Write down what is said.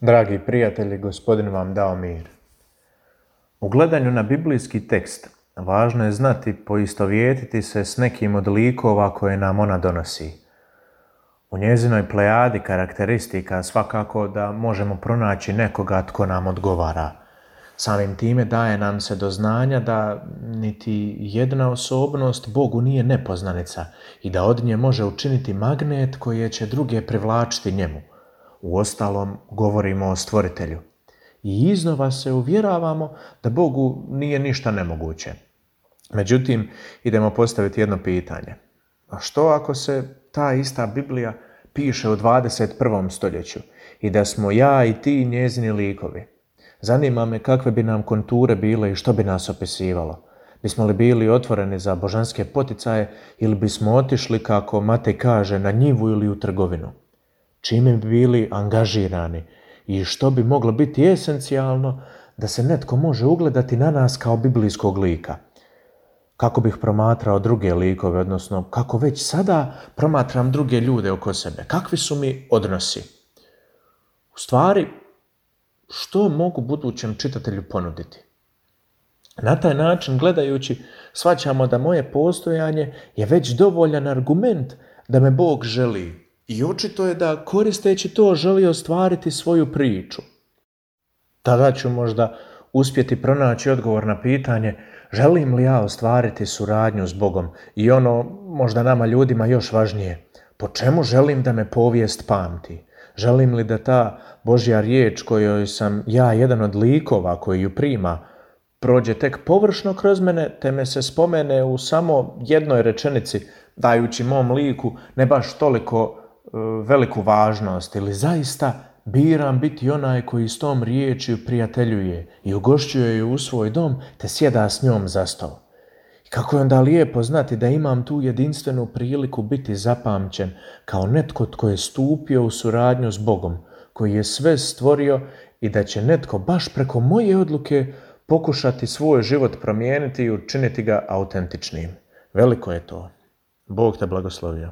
Dragi prijatelji, Gospodin vam dao mir. U gledanju na biblijski tekst važno je znati poistovjetiti se s nekim od likova koje nam ona donosi. U njezinoj plejadi karakteristika svakako da možemo pronaći nekoga tko nam odgovara. Samim time daje nam se do znanja da niti jedna osobnost Bogu nije nepoznanica i da od nje može učiniti magnet koji će druge privlačiti njemu. Uostalom, govorimo o Stvoritelju. I iznova se uvjeravamo da Bogu nije ništa nemoguće. Međutim, idemo postaviti jedno pitanje. A što ako se ta ista Biblija piše u 21. stoljeću i da smo ja i ti njezini likovi? Zanima me kakve bi nam konture bile i što bi nas opisivalo. Bismo li bili otvoreni za božanske poticaje ili bismo otišli, kako Matej kaže, na njivu ili u trgovinu? Čime bi bili angažirani i što bi moglo biti esencijalno da se netko može ugledati na nas kao biblijskog lika? Kako bih promatrao druge likove, odnosno kako već sada promatram druge ljude oko sebe? Kakvi su mi odnosi? U stvari, što mogu budućem čitatelju ponuditi? Na taj način, gledajući, shvaćamo da moje postojanje je već dovoljan argument da me Bog želi. I očito je da, koristeći to, želi ostvariti svoju priču. Tada ću možda uspjeti pronaći odgovor na pitanje želim li ja ostvariti suradnju s Bogom i ono, možda nama ljudima još važnije, po čemu želim da me povijest pamti? Želim li da ta Božja riječ kojoj sam ja jedan od likova koji ju prima prođe tek površno kroz mene, te me se spomene u samo jednoj rečenici, dajući mom liku ne baš toliko veliku važnost, ili zaista biram biti onaj koji s tom riječju prijateljuje i ugošćuje ju u svoj dom te sjeda s njom za stol. I kako je onda lijepo znati da imam tu jedinstvenu priliku biti zapamćen kao netko tko je stupio u suradnju s Bogom, koji je sve stvorio i da će netko baš preko moje odluke pokušati svoj život promijeniti i učiniti ga autentičnim. Veliko je to. Bog te blagoslovio.